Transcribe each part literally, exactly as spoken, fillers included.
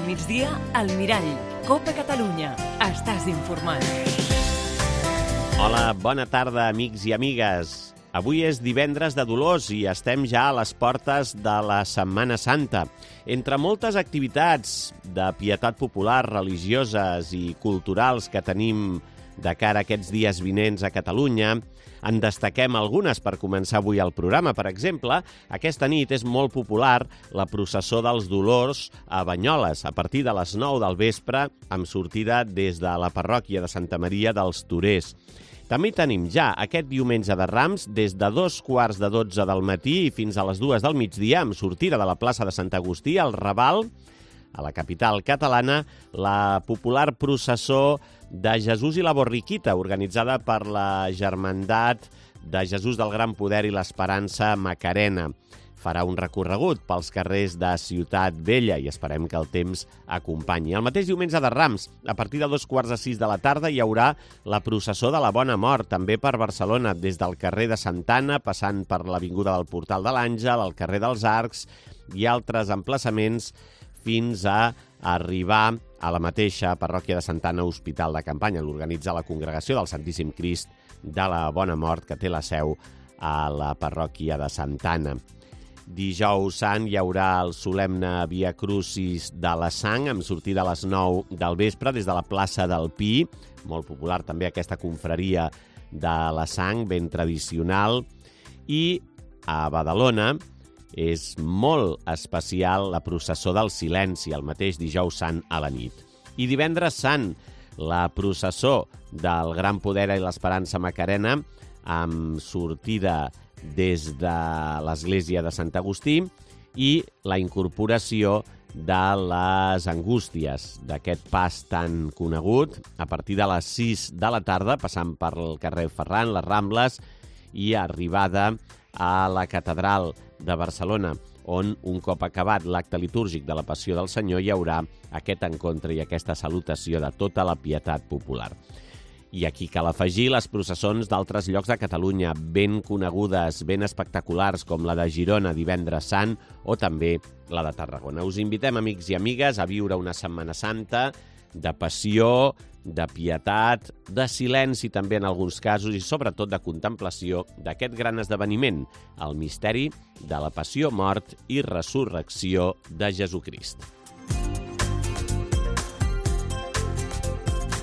migdia, al Mirall. Copa Catalunya. Estàs informat. Hola, bona tarda, amics i amigues. Avui és divendres de Dolors i estem ja a les portes de la Setmana Santa. Entre moltes activitats de pietat popular, religioses i culturals que tenim de cara a aquests dies vinents a Catalunya, en destaquem algunes per començar avui el programa. Per exemple, aquesta nit és molt popular la processó dels Dolors a Banyoles, a partir de les nou del vespre, amb sortida des de la parròquia de Santa Maria dels Torers. També tenim ja aquest diumenge de Rams des de dos quarts de dotze del matí i fins a les dues del migdia, amb sortida de la plaça de Sant Agustí, al Raval, a la capital catalana, la popular processó de Jesús i la Borriquita, organitzada per la Germandat de Jesús del Gran Poder i l'Esperança Macarena. Farà un recorregut pels carrers de Ciutat Vella i esperem que el temps acompanyi. El mateix diumenge de Rams, a partir de dos quarts de sis de la tarda, hi haurà la processó de la Bona Mort, també per Barcelona, des del carrer de Santana, passant per l'avinguda del Portal de l'Àngel, el carrer dels Arcs i altres emplaçaments, fins a arribar a la mateixa parròquia de Santana, Hospital de Campanya. L'organitza la Congregació del Santíssim Crist de la Bona Mort, que té la seu a la parròquia de Santana. Dijous Sant hi haurà el solemne Via Crucis de la Sang, amb sortida a les nou del vespre des de la plaça del Pi. Molt popular també aquesta confraria de la Sang, ben tradicional. I a Badalona és molt especial la processó del Silenci, el mateix dijous Sant a la nit. I divendres Sant, la processó del Gran Poder i l'Esperança Macarena, amb sortida des de l'església de Sant Agustí i la incorporació de les Angústies, d'aquest pas tan conegut, a partir de les sis de la tarda, passant per el carrer Ferran, les Rambles, i arribada a la Catedral de Barcelona, on un cop acabat l'acte litúrgic de la Passió del Senyor hi haurà aquest encontre i aquesta salutació de tota la pietat popular. I aquí cal afegir les processons d'altres llocs de Catalunya, ben conegudes, ben espectaculars, com la de Girona divendres Sant o també la de Tarragona. Us invitem, amics i amigues, a viure una Setmana Santa de passió, de pietat, de silenci també en alguns casos i sobretot de contemplació d'aquest gran esdeveniment, el misteri de la passió, mort i resurrecció de Jesucrist.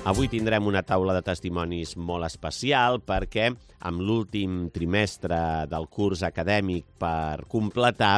Avui tindrem una taula de testimonis molt especial perquè amb l'últim trimestre del curs acadèmic per completar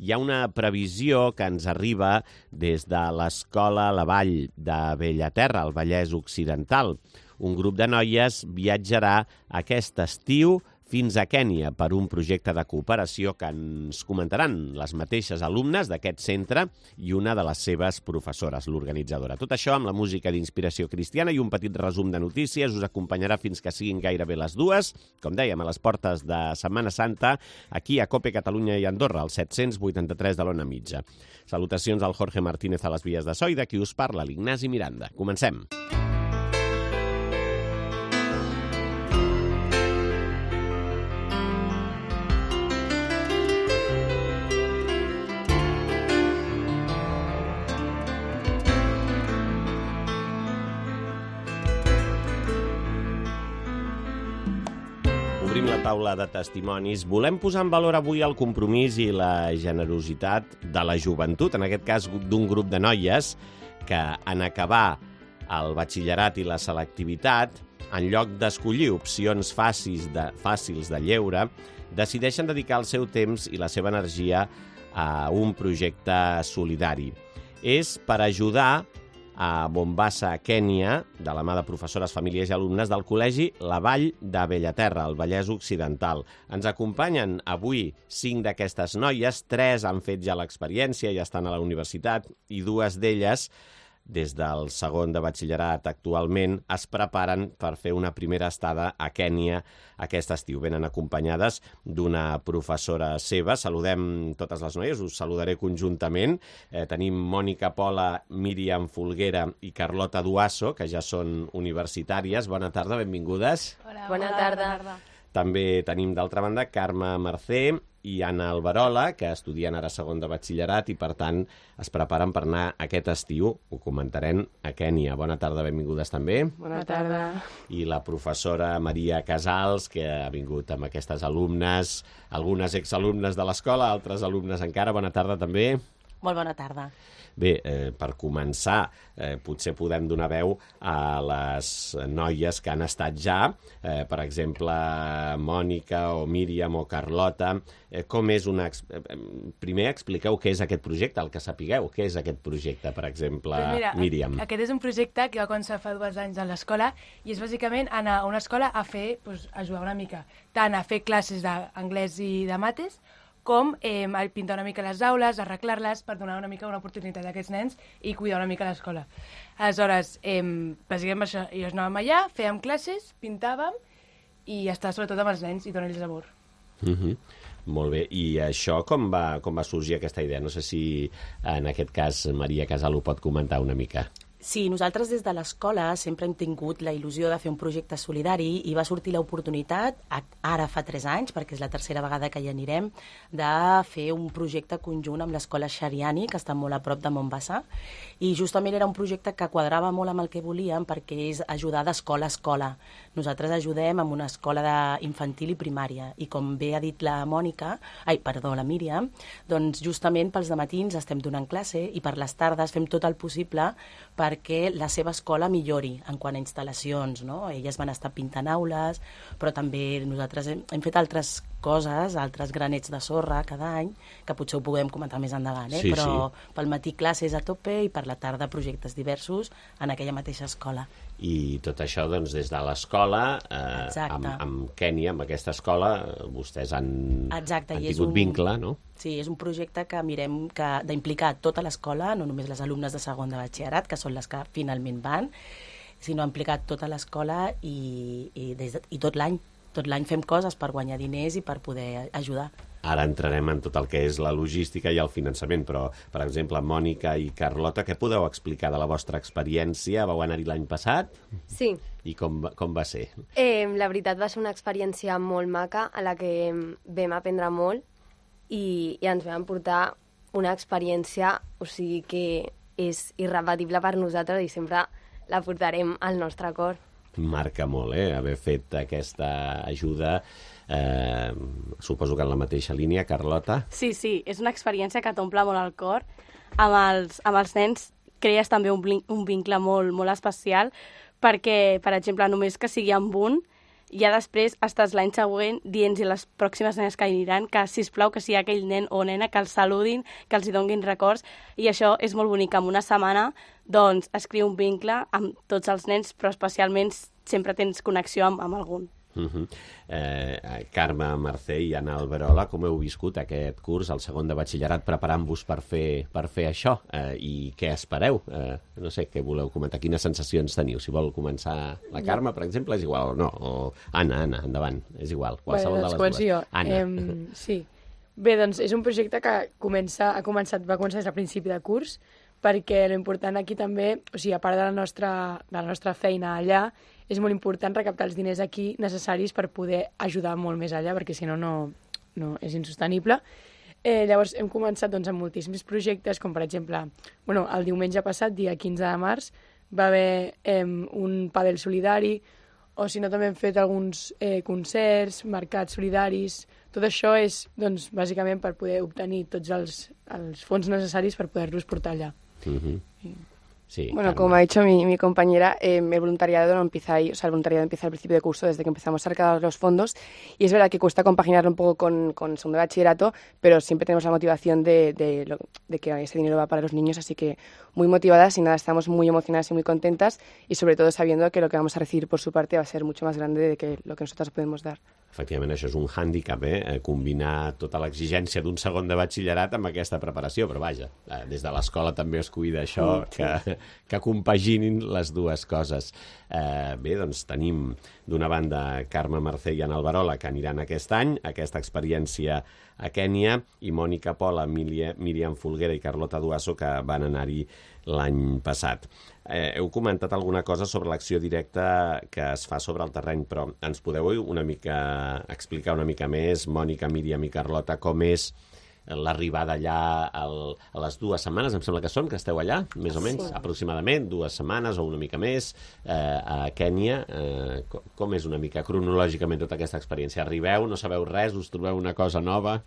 hi ha una previsió que ens arriba des de l'Escola La Vall de Bellaterra, al Vallès Occidental. Un grup de noies viatjarà aquest estiu fins a Kènia per un projecte de cooperació que ens comentaran les mateixes alumnes d'aquest centre i una de les seves professores, l'organitzadora. Tot això amb la música d'inspiració cristiana i un petit resum de notícies us acompanyarà fins que siguin gairebé les dues, com dèiem, a les portes de Setmana Santa, aquí a Cope Catalunya i Andorra, al set-cents vuitanta-tres de l'Ona Mitja. Salutacions al Jorge Martínez a les vies de so i de qui us parla, l'Ignasi Miranda. Comencem. Obrim la taula de testimonis. Volem posar en valor avui el compromís i la generositat de la joventut, en aquest cas d'un grup de noies que en acabar el batxillerat i la selectivitat, en lloc d'escollir opcions fàcils de, fàcils de lleure, decideixen dedicar el seu temps i la seva energia a un projecte solidari. És per ajudar a Mombasa, Kènia, de la mà de professores, famílies i alumnes del Col·legi La Vall de Bellaterra, al Vallès Occidental. Ens acompanyen avui cinc d'aquestes noies, tres han fet ja l'experiència, ja estan a la universitat, i dues d'elles, des del segon de batxillerat actualment, es preparen per fer una primera estada a Kènia aquest estiu. Venen acompanyades d'una professora seva. Saludem totes les noies, us saludaré conjuntament. Eh, tenim Mònica Pola, Míriam Folguera i Carlota Duasso, que ja són universitàries. Bona tarda, benvingudes. Hola, bona tarda. També tenim, d'altra banda, Carme Mercè i Anna Alberola, que estudien ara segon de batxillerat i, per tant, es preparen per anar aquest estiu. Ho comentarem a Kènia. Bona tarda, benvingudes també. Bona tarda. I la professora Maria Casals, que ha vingut amb aquestes alumnes, algunes exalumnes de l'escola, altres alumnes encara. Bona tarda també. Molt bona tarda. Bé, eh, per començar, eh, potser podem donar veu a les noies que han estat ja, eh, per exemple, Mònica o Míriam o Carlota. Eh, com és una... Primer expliqueu què és aquest projecte, el que sapigueu. Què és aquest projecte, per exemple, pues mira, Míriam? Aquest és un projecte que va començar fa dos anys a l'escola i és bàsicament anar a una escola a fer, pues, ajudar una mica, tant a fer classes d'anglès i de mates, com eh, a pintar una mica les aules, arreglar-les, per donar una mica una oportunitat a aquests nens i cuidar una mica l'escola. Aleshores, eh, bàsicament això, i anàvem allà, fèiem classes, pintàvem i estar sobretot amb els nens i donar-los amor. Uh -huh. Molt bé. I això com va, com va sorgir aquesta idea? No sé si en aquest cas Maria Casal ho pot comentar una mica. Sí, nosaltres des de l'escola sempre hem tingut la il·lusió de fer un projecte solidari i va sortir l'oportunitat, ara fa tres anys, perquè és la tercera vegada que hi anirem, de fer un projecte conjunt amb l'escola Xariani, que està molt a prop de Mombasa, i justament era un projecte que quadrava molt amb el que volíem perquè és ajudar d'escola a escola. Nosaltres ajudem amb una escola infantil i primària i com bé ha dit la Mònica, ai, perdó, la Míriam, doncs justament pels dematins estem donant classe i per les tardes fem tot el possible per perquè la seva escola millori en quant a instal·lacions, no? Elles van estar pintant aules, però també nosaltres hem, hem fet altres coses, altres granets de sorra cada any, que potser ho puguem comentar més endavant, eh? Sí, però sí. Pel matí classes a tope i per la tarda projectes diversos en aquella mateixa escola. I tot això, doncs, des de l'escola, eh, amb, amb Kènia, amb aquesta escola, vostès han, Exacte, han i és tingut un... vincle, no? Sí, és un projecte que mirem que d'implicar tota l'escola, no només les alumnes de segon de batxillerat, que són les que finalment van, sinó implicar tota l'escola i, i, des de, i tot l'any. Tot l'any fem coses per guanyar diners i per poder ajudar. Ara entrarem en tot el que és la logística i el finançament, però, per exemple, Mònica i Carlota, què podeu explicar de la vostra experiència? Vau anar-hi l'any passat? Sí. I com, com va ser? Eh, la veritat va ser una experiència molt maca a la que vam aprendre molt i, i ens vam portar una experiència, o sigui, que és irrepetible per nosaltres i sempre la portarem al nostre cor. Marca molt, eh? Haver fet aquesta ajuda, eh, suposo que en la mateixa línia. Carlota? Sí, sí, és una experiència que t'omple molt el cor. Amb els, amb els nens crees també un, un vincle molt, molt especial perquè, per exemple, només que sigui amb un, ja després estàs l'any següent dient-hi a les pròximes nenes que aniran que, sisplau, que sigui aquell nen o nena que els saludin, que els hi donguin records, i això és molt bonic. En una setmana, doncs, es crea un vincle amb tots els nens, però especialment sempre tens connexió amb, amb algun. Uh -huh. eh, Carme Mercè i Anna Alberola, com heu viscut aquest curs, el segon de batxillerat, preparant-vos per fer, per fer això? Eh, I què espereu? Eh, no sé, què voleu comentar? Quines sensacions teniu? Si vol començar la Carme, per exemple, és igual o no? O Anna, Anna, endavant, és igual. Qualsevol Bé, doncs començo jo. Anna. Eh, sí. Bé, doncs és un projecte que comença, ha començat, va començar des del principi de curs, perquè l'important aquí també, o sigui, a part de la nostra, de la nostra feina allà, és molt important recaptar els diners aquí necessaris per poder ajudar molt més allà, perquè si no, no, no és insostenible. Eh, llavors hem començat doncs, amb moltíssims projectes, com per exemple, bueno, el diumenge passat, dia quinze de març, va haver eh, un pàdel solidari, o si no també hem fet alguns eh, concerts, mercats solidaris. Tot això és, doncs, bàsicament per poder obtenir tots els, els fons necessaris per poder-los portar allà. Uh-huh. Sí, bueno, Carme. como ha dicho mi, mi compañera, eh, el voluntariado no empieza ahí, o sea, el voluntariado empieza al principio de curso, desde que empezamos a recaudar los fondos, y es verdad que cuesta compaginarlo un poco con, con segundo de bachillerato, pero siempre tenemos la motivación de, de, lo, de que ese dinero va para los niños, así que muy motivadas y nada, estamos muy emocionadas y muy contentas, y sobre todo sabiendo que lo que vamos a recibir por su parte va a ser mucho más grande de que lo que nosotras podemos dar. Efectivament, això és un hàndicap, eh? Combinar tota l'exigència d'un segon de batxillerat amb aquesta preparació, però vaja, des de l'escola també es cuida això, que, que compaginin les dues coses. Eh, bé, doncs tenim D'una banda, Carme Mercè i Ana Alberola, que aniran aquest any, aquesta experiència a Kènia, i Mònica Pola, Míriam Folguera i Carlota Duasso, que van anar-hi l'any passat. Eh, heu comentat alguna cosa sobre l'acció directa que es fa sobre el terreny, però ens podeu una mica explicar una mica més, Mònica, Míriam i Carlota, com és l'arribada allà el, a les dues setmanes, em sembla que són, que esteu allà, més o menys, sí. Aproximadament, dues setmanes o una mica més, eh, a Kènia. Eh, com, com és una mica cronològicament tota aquesta experiència? Arribeu, no sabeu res, us trobeu una cosa nova?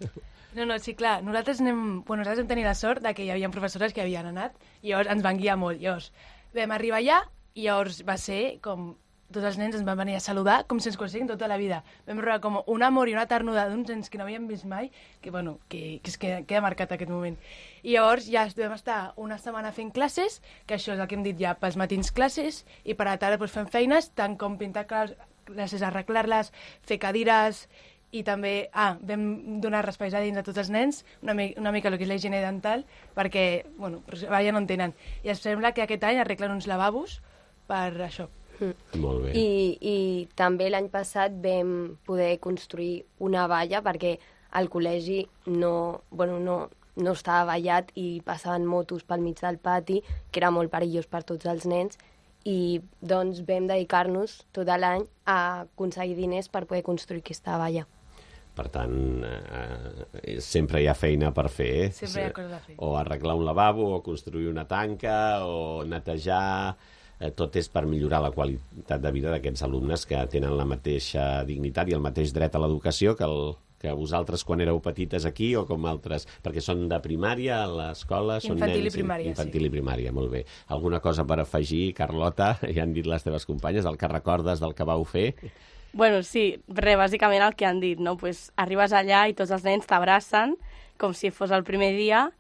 No, no, sí, clar, nosaltres anem, bueno, nosaltres vam tenir la sort de que hi havia professores que havien anat i llavors ens van guiar molt. Llavors vam arribar allà i llavors va ser com tots els nens ens van venir a saludar com si ens coneixessin tota la vida. Vam rebre com un amor i una ternura d'uns nens que no havíem vist mai, que, bueno, que, que es queda, queda marcat aquest moment. I llavors ja vam estar una setmana fent classes, que això és el que hem dit ja, pels matins classes, i per a la tarda doncs, fem feines, tant com pintar classes, arreglar-les, fer cadires, i també, ah, vam donar espais a dins a tots els nens, una, mi una mica el que és la higiene dental, perquè, bueno, ja no en tenen. I em sembla que aquest any arreglen uns lavabos per això. Mm. Molt bé. I, i també l'any passat vam poder construir una valla perquè al col·legi no, bueno, no, no estava vallat i passaven motos pel mig del pati, que era molt perillós per tots els nens, i doncs vam dedicar-nos tot l'any a aconseguir diners per poder construir aquesta valla. Per tant, eh, sempre hi ha feina per fer. Eh? Sempre hi ha coses a fer. O arreglar un lavabo, o construir una tanca, o netejar... Eh, tot és per millorar la qualitat de vida d'aquests alumnes que tenen la mateixa dignitat i el mateix dret a l'educació que, el, que vosaltres quan éreu petites aquí o com altres, perquè són de primària a l'escola, són nens... Infantil i primària, Infantil sí. i primària, molt bé. Alguna cosa per afegir, Carlota? Ja han dit les teves companyes, el que recordes del que vau fer? Bueno, sí, res, bàsicament el que han dit, no? Pues arribes allà i tots els nens t'abracen com si fos el primer dia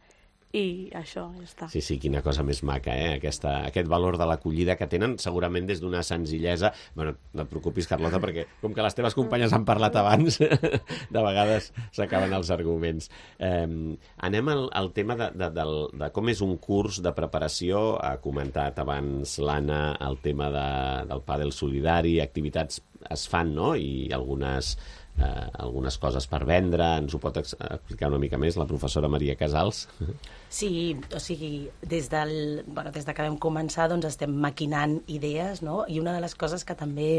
i això, ja està. Sí, sí, quina cosa més maca, eh? Aquesta, aquest valor de l'acollida que tenen, segurament des d'una senzillesa... Bueno, no et preocupis, Carlota, perquè com que les teves companyes han parlat abans, de vegades s'acaben els arguments. Eh, anem al, al tema de, de, de, de com és un curs de preparació. Ha comentat abans l'Anna el tema de, del pàdel solidari, activitats es fan, no?, i algunes... Eh, algunes coses per vendre. Ens ho pot explicar una mica més la professora Maria Casals? Sí, o sigui, des, del, bueno, des de que vam començar doncs estem maquinant idees, no? I una de les coses que també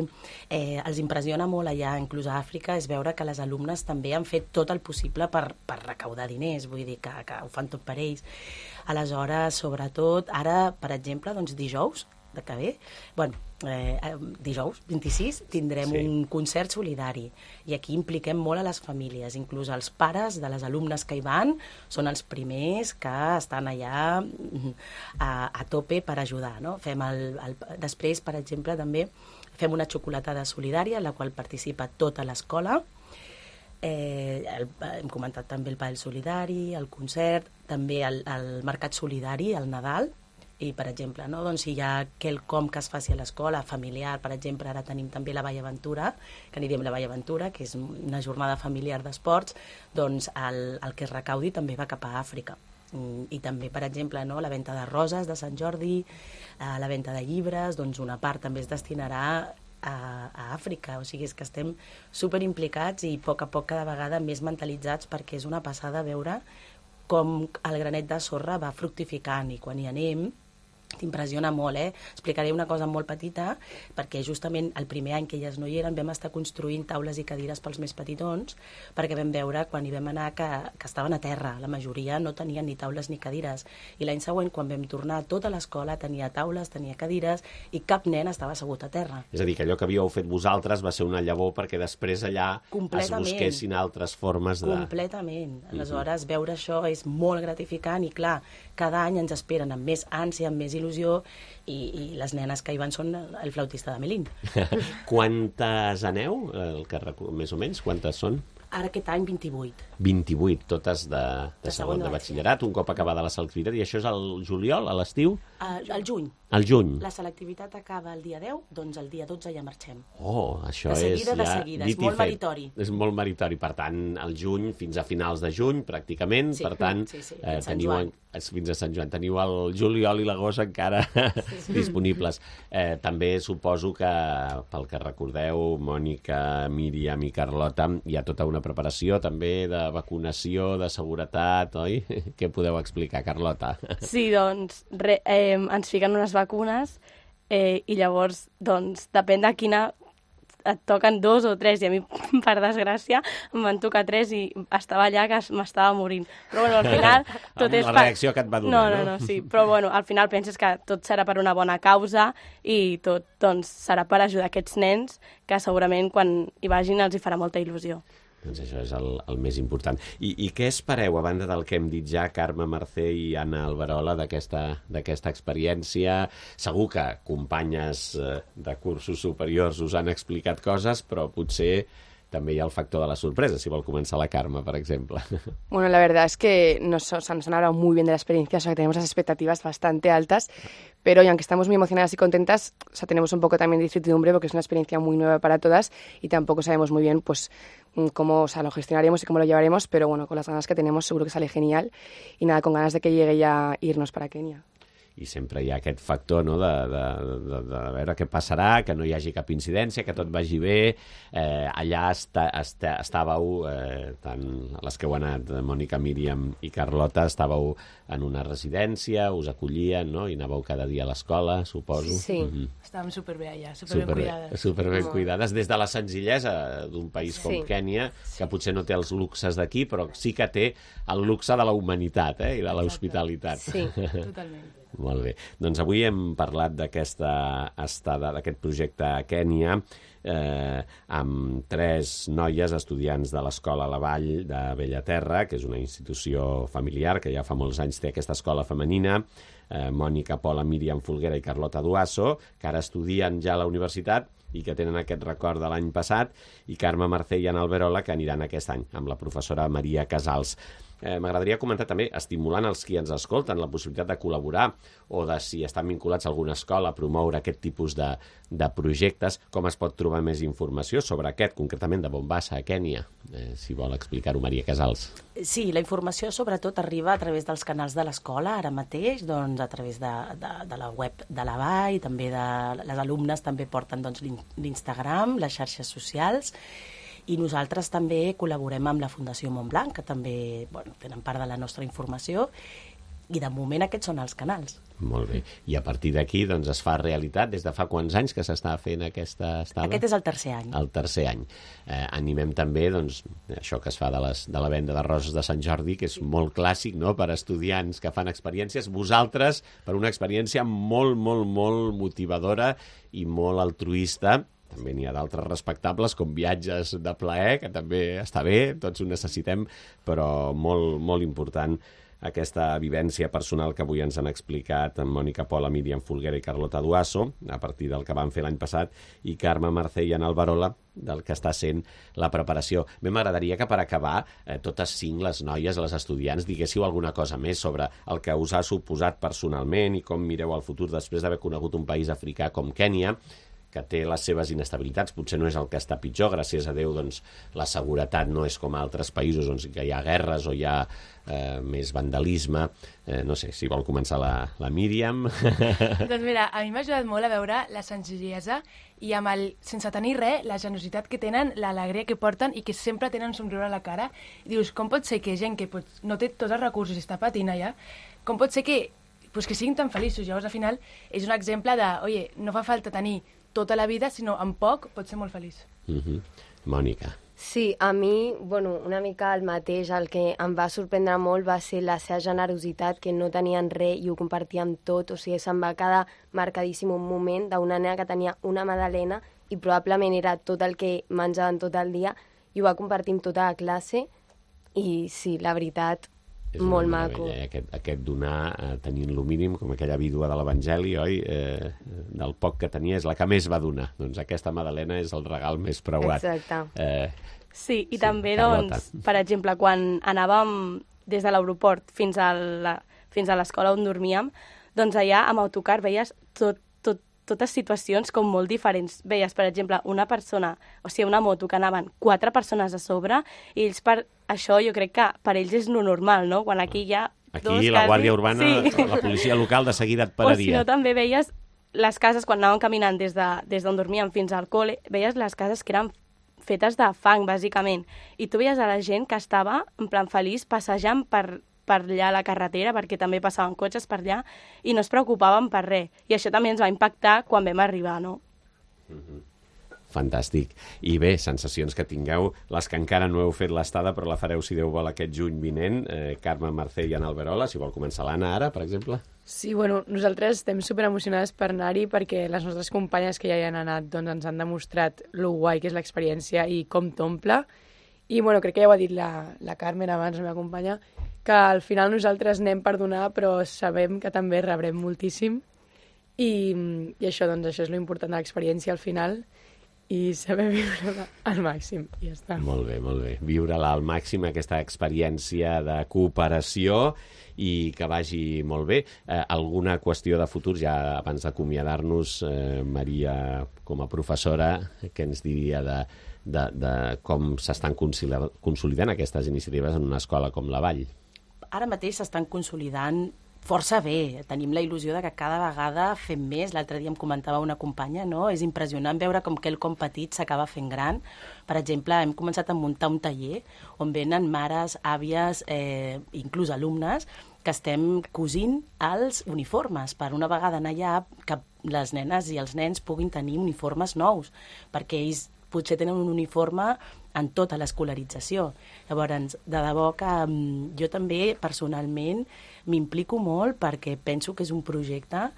eh, els impressiona molt allà, inclús a Àfrica, és veure que les alumnes també han fet tot el possible per, per recaudar diners, vull dir que, que ho fan tot per ells. Aleshores, sobretot, ara, per exemple, doncs dijous, de que ve, bueno, eh, dijous vint-i-sis tindrem sí. un concert solidari i aquí impliquem molt a les famílies, inclús els pares de les alumnes que hi van són els primers que estan allà a, a tope per ajudar, no? Fem el, el, després, per exemple, també fem una xocolatada solidària en la qual participa tota l'escola. Eh, el, hem comentat també el pàdel solidari, el concert, també el, el mercat solidari, el Nadal. I, per exemple, no? Doncs si hi ha quelcom que es faci a l'escola, familiar, per exemple, ara tenim també la Vall Aventura, que anirem la Vall Aventura, que és una jornada familiar d'esports, doncs el, el que es recaudi també va cap a Àfrica. I també, per exemple, no? La venda de roses de Sant Jordi, eh, la venda de llibres, doncs una part també es destinarà a, a Àfrica. O sigui, és que estem superimplicats i a poc a poc cada vegada més mentalitzats, perquè és una passada veure com el granet de sorra va fructificant i quan hi anem t'impressiona molt, eh? Explicaré una cosa molt petita, perquè justament el primer any que elles no hi eren vam estar construint taules i cadires pels més petitons, perquè vam veure quan hi vam anar que, que estaven a terra, la majoria no tenien ni taules ni cadires, i l'any següent quan vam tornar tota l'escola tenia taules, tenia cadires, i cap nen estava assegut a terra. És a dir, que allò que havíeu fet vosaltres va ser una llavor perquè després allà es busquessin altres formes de... Completament. Aleshores, mm-hmm. veure això és molt gratificant i clar, cada any ens esperen amb més ànsia, amb més il·lusió, i, i les nenes que hi van són el flautista de Melín. Quantes aneu? El que, més o menys, quantes són? Ara aquest any vint-i-vuit. vint-i-vuit, totes de, de, de segon de batxillerat, un cop acabada la selectivitat, i això és al juliol, a l'estiu? Uh, al juny. Al juny. La selectivitat acaba el dia deu, doncs el dia dotze ja marxem. Oh, això de seguida, és ja... De seguida, és molt meritori. És molt meritori, per tant, el juny fins a finals de juny, pràcticament, sí, per tant, sí, sí, eh, fins, teniu, Sant fins a Sant Joan, teniu el juliol i l'agost encara sí, sí. disponibles. Eh, també suposo que, pel que recordeu, Mònica, Míriam i Carlota, hi ha tota una preparació també de vacunació, de seguretat, oi? Què podeu explicar, Carlota? Sí, doncs, re, eh, ens fiquen unes vacunes eh, i llavors, doncs, depèn de quina et toquen dos o tres, i a mi, per desgràcia, em van tocar tres i estava allà que m'estava morint. Però, bueno, al final... tot Amb és la per... reacció que et va donar, no? no? No, no, sí. Però, bueno, al final penses que tot serà per una bona causa i tot, doncs, serà per ajudar aquests nens que segurament quan hi vagin els hi farà molta il·lusió. Doncs això és el, el més important. I, I què espereu, a banda del que hem dit ja, Carme Mercè i Anna Alberola, d'aquesta experiència? Segur que companyes eh, de cursos superiors us han explicat coses, però potser també hi ha el factor de la sorpresa, si vol començar la Carme, per ejemplo. Bueno, la verdad es que nos, o sea, nos han hablado muy bien de la experiencia, o sea, que tenemos las expectativas bastante altas, pero y aunque estamos muy emocionadas y contentas, o sea, tenemos un poco también de incertidumbre porque es una experiencia muy nueva para todas y tampoco sabemos muy bien, pues, cómo, o sea, lo gestionaremos y cómo lo llevaremos, pero bueno, con las ganas que tenemos seguro que sale genial y nada, con ganas de que llegue ya irnos para Kenia. I sempre hi ha aquest factor, no?, de, de, de, de veure què passarà, que no hi hagi cap incidència, que tot vagi bé. Eh, allà està, està, estàveu, eh, tant les que heu anat, Mònica, Míriam i Carlota, estàveu en una residència, us acollien, no?, i anàveu cada dia a l'escola, suposo. Sí, mm-hmm. Estàvem superbé allà, superben Super, cuidades. Superben cuidades, des de la senzillesa d'un país com Sí. Kènia, que potser no té els luxes d'aquí, però sí que té el luxe de la humanitat, eh?, i de l'hospitalitat. Sí, totalment. Molt bé. Doncs avui hem parlat d'aquesta estada, d'aquest projecte a Kènia, eh, amb tres noies estudiants de l'Escola La Vall de Bellaterra, que és una institució familiar que ja fa molts anys té aquesta escola femenina, eh, Mònica, Pola, Míriam Folguera i Carlota Duasso, que ara estudien ja a la universitat i que tenen aquest record de l'any passat, i Carme Mercè i Anna Alberola, que aniran aquest any amb la professora Maria Casals. Eh, M'agradaria comentar també, estimulant els qui ens escolten, la possibilitat de col·laborar o de, si estan vinculats a alguna escola, a promoure aquest tipus de, de projectes, com es pot trobar més informació sobre aquest, concretament de Mombasa, a Kènia. Eh, si vol explicar-ho, Maria Casals. Sí, la informació sobretot arriba a través dels canals de l'escola, ara mateix, doncs, a través de, de, de la web de la Vall, també de, les alumnes també porten doncs, l'Instagram, les xarxes socials, i nosaltres també col·laborem amb la Fundació Montblanc, que també bueno, tenen part de la nostra informació, i de moment aquests són els canals. Molt bé. I a partir d'aquí doncs, es fa realitat. Des de fa quants anys que s'està fent aquesta estada? Aquest és el tercer any. El tercer any. Eh, animem també doncs, això que es fa de, les, de la venda de roses de Sant Jordi, que és sí. molt clàssic, no?, per a estudiants que fan experiències. Vosaltres, per una experiència molt, molt, molt motivadora i molt altruista. També n'hi ha d'altres respectables, com viatges de plaer, que també està bé, tots ho necessitem, però molt, molt important aquesta vivència personal que avui ens han explicat en Mònica, Pola, Míriam Folguera i Carlota Duasso, a partir del que van fer l'any passat, i Carme Mercè i Anna Alberola, del que està sent la preparació. Bé, m'agradaria que per acabar, eh, totes cinc les noies, les estudiants, diguéssiu alguna cosa més sobre el que us ha suposat personalment i com mireu el futur després d'haver conegut un país africà com Kènia, que té les seves inestabilitats, potser no és el que està pitjor, gràcies a Déu doncs, la seguretat no és com a altres països on hi ha guerres o hi ha eh, més vandalisme. Eh, no sé, si vol començar la, la Míriam. Doncs mira, a mi m'ha ajudat molt a veure la senzillesa i amb el, sense tenir res, la generositat que tenen, l'alegria que porten i que sempre tenen un somriure a la cara. I dius, com pot ser que gent que pot, no té tots els recursos i està patint allà, com pot ser que, pues, que siguin tan feliços? Llavors, al final, és un exemple de, oye, no fa falta tenir tota la vida, sinó en poc pot ser molt feliç. Uh-huh. Mònica. Sí, a mi, bueno, una mica el mateix, el que em va sorprendre molt va ser la seva generositat, que no tenien res i ho compartien tot, o sigui, se'm va quedar marcadíssim un moment d'una nena que tenia una magdalena i probablement era tot el que menjaven tot el dia i ho va compartir amb tota la classe i sí, la veritat, molt maco. Eh? Aquest, aquest donar, eh, tenint-lo mínim, com aquella vídua de l'Evangeli, oi? Eh, del poc que tenia és la que més va donar. Doncs aquesta magdalena és el regal més preuat. Exacte. Eh, Sí, i Sí, també, Carlota. doncs, per exemple, quan anàvem des de l'aeroport fins a la, fins a l'escola on dormíem, doncs allà amb autocar veies tot, tot, totes situacions com molt diferents. Veies, per exemple, una persona, o sigui, una moto que anaven quatre persones a sobre, i ells per això jo crec que per ells és lo normal, no? Quan aquí hi ha Aquí dos, la quasi... Guàrdia Urbana, sí. la policia local de seguida et O si pararia. no, també veies les cases, quan anàvem caminant des d'on de, des dormíem fins al col·le, veies les cases que eren fetes de fang, bàsicament. I tu veies a la gent que estava, en plan feliç, passejant per, per allà a la carretera, perquè també passaven cotxes per allà, i no es preocupaven per res. I això també ens va impactar quan vam arribar, no? Fantàstic. I bé, sensacions que tingueu, les que encara no heu fet l'estada, però la fareu, si Déu vol, aquest juny vinent. Eh, Carme, Mercè i Anna Alberola, si vol començar l'Anna ara, per exemple. Sí, bueno, nosaltres estem super emocionades per anar-hi perquè les nostres companyes que ja hi han anat doncs, ens han demostrat lo guai que és l'experiència i com t'omple. I bueno, crec que ja ho ha dit la, la Carmen abans, la meva companya, que al final nosaltres anem per donar, però sabem que també rebrem moltíssim. I, i això, doncs, això és lo important de l'experiència al final, i saber viure-la al màxim, i ja està. Molt bé, molt bé. Viure-la al màxim, aquesta experiència de cooperació, i que vagi molt bé. Eh, alguna qüestió de futur, ja abans d'acomiadar-nos, eh, Maria, com a professora, què ens diria de, de, de com s'estan consolidant aquestes iniciatives en una escola com la Vall? Ara mateix s'estan consolidant força bé. Tenim la il·lusió de que cada vegada fem més. L'altre dia em comentava una companya, no? És impressionant veure com quelcom petit s'acaba fent gran. Per exemple, hem començat a muntar un taller on venen mares, àvies, eh, inclús alumnes, que estem cosint els uniformes per una vegada anar allà que les nenes i els nens puguin tenir uniformes nous, perquè ells potser tenen un uniforme en tota l'escolarització. Llavors, de debò que um, jo també personalment m'implico molt perquè penso que és un projecte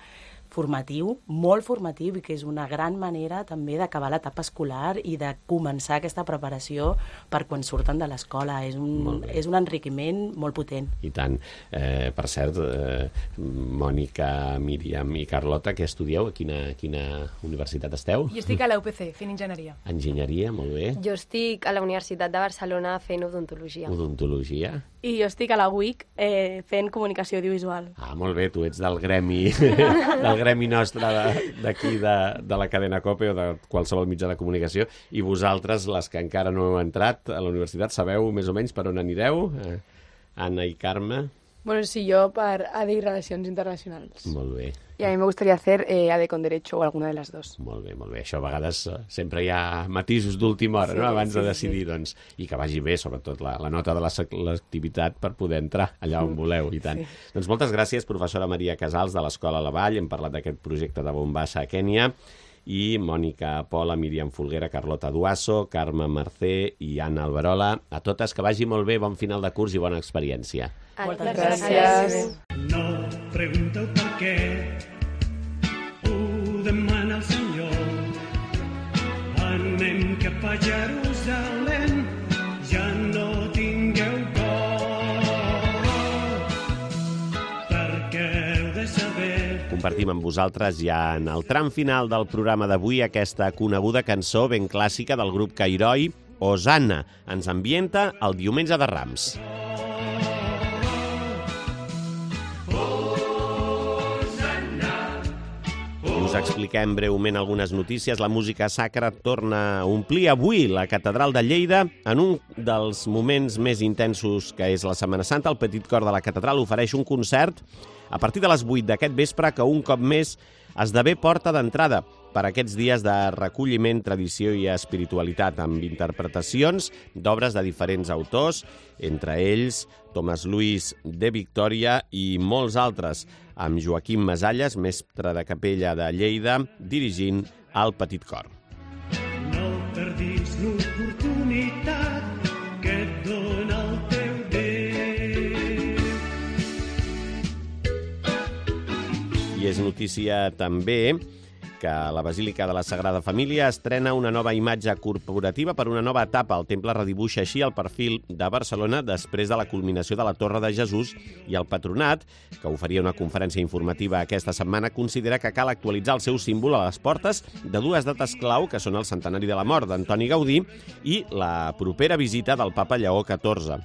formatiu, molt formatiu, i que és una gran manera també d'acabar l'etapa escolar i de començar aquesta preparació per quan surten de l'escola. És un, és un enriquiment molt potent. I tant. Eh, per cert, eh, Mònica, Míriam i Carlota, què estudieu? A quina, quina universitat esteu? Jo estic a la U P C, fent enginyeria. Enginyeria, molt bé. Jo estic a la Universitat de Barcelona fent odontologia. Odontologia. I jo estic a la U I C eh, fent comunicació audiovisual. Ah, molt bé, tu ets del gremi, del gremi nostre d'aquí, de, de la cadena COPE o de qualsevol mitjà de comunicació, i vosaltres, les que encara no heu entrat a la universitat, sabeu més o menys per on anireu? Eh, Anna i Carme? Bueno, sí, yo per A D I Relacions Internacionals. Molt bé. Y a mí me gustaría hacer eh, A D con Derecho o alguna de las dos. Molt bé, molt bé. Això a vegades eh, sempre hi ha matisos d'última hora, Sí, no? Abans sí, de decidir, sí. doncs, i que vagi bé, sobretot, la, la nota de la sec- l'activitat per poder entrar allà on voleu, i tant. Sí. Doncs moltes gràcies, professora Maria Casals, de l'Escola La Vall. Hem parlat d'aquest projecte de Bombassa a Kènia. I Mònica Pola, Míriam Folguera, Carlota Duasso, Carme Mercè i Anna Alberola. A totes, que vagi molt bé, bon final de curs i bona experiència. Moltes Gràcies. No pregunteu per què, ho demana el Senyor. Anem cap a Jerusalem, ja no tingueu por, perquè heu de saber. Compartim amb vosaltres ja en el tram final del programa d'avui aquesta coneguda cançó ben clàssica del grup Cairoi, Hosanna. Ens ambienta el diumenge de Rams. Us expliquem breument algunes notícies. La música sacra torna a omplir avui la Catedral de Lleida en un dels moments més intensos que és la Setmana Santa. El Petit Cor de la Catedral ofereix un concert a partir de les vuit d'aquest vespre que un cop més esdevé porta d'entrada per aquests dies de recolliment, tradició i espiritualitat, amb interpretacions d'obres de diferents autors, entre ells Tomàs Luis de Victòria i molts altres, amb Joaquim Masalles, mestre de capella de Lleida, dirigint el Petit Cor. No perdis l'oportunitat que et dona el teu Déu. I és notícia també que la Basílica de la Sagrada Família estrena una nova imatge corporativa per una nova etapa. El temple redibuixa així el perfil de Barcelona després de la culminació de la Torre de Jesús, i el Patronat, que oferia una conferència informativa aquesta setmana, considera que cal actualitzar el seu símbol a les portes de dues dates clau, que són el centenari de la mort d'Antoni Gaudí i la propera visita del papa Lleó catorze.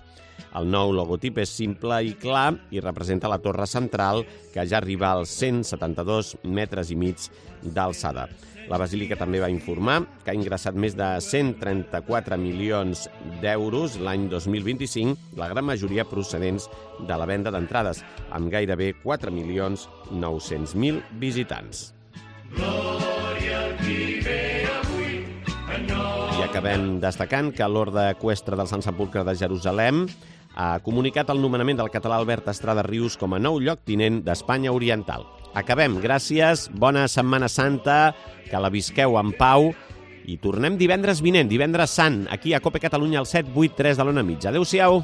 El nou logotip és simple i clar i representa la torre central, que ja arriba als cent setanta-dos metres i mig d'alçada. La Basílica també va informar que ha ingressat més de cent trenta-quatre milions d'euros l'any dos mil vint-i-cinc, la gran majoria procedents de la venda d'entrades, amb gairebé quatre milions nou-cents mil visitants. Glòria al qui ve avui, I acabem destacant que l'Orde Eqüestre del Sant Sepulcre de Jerusalem ha comunicat el nomenament del català Albert Estrada Rius com a nou lloctinent d'Espanya Oriental. Acabem. Gràcies, bona Setmana Santa, que la visqueu en pau i tornem divendres vinent, divendres sant, aquí a Cope Catalunya al set vuit tres de l'Ona Mitja. Adéu-siau.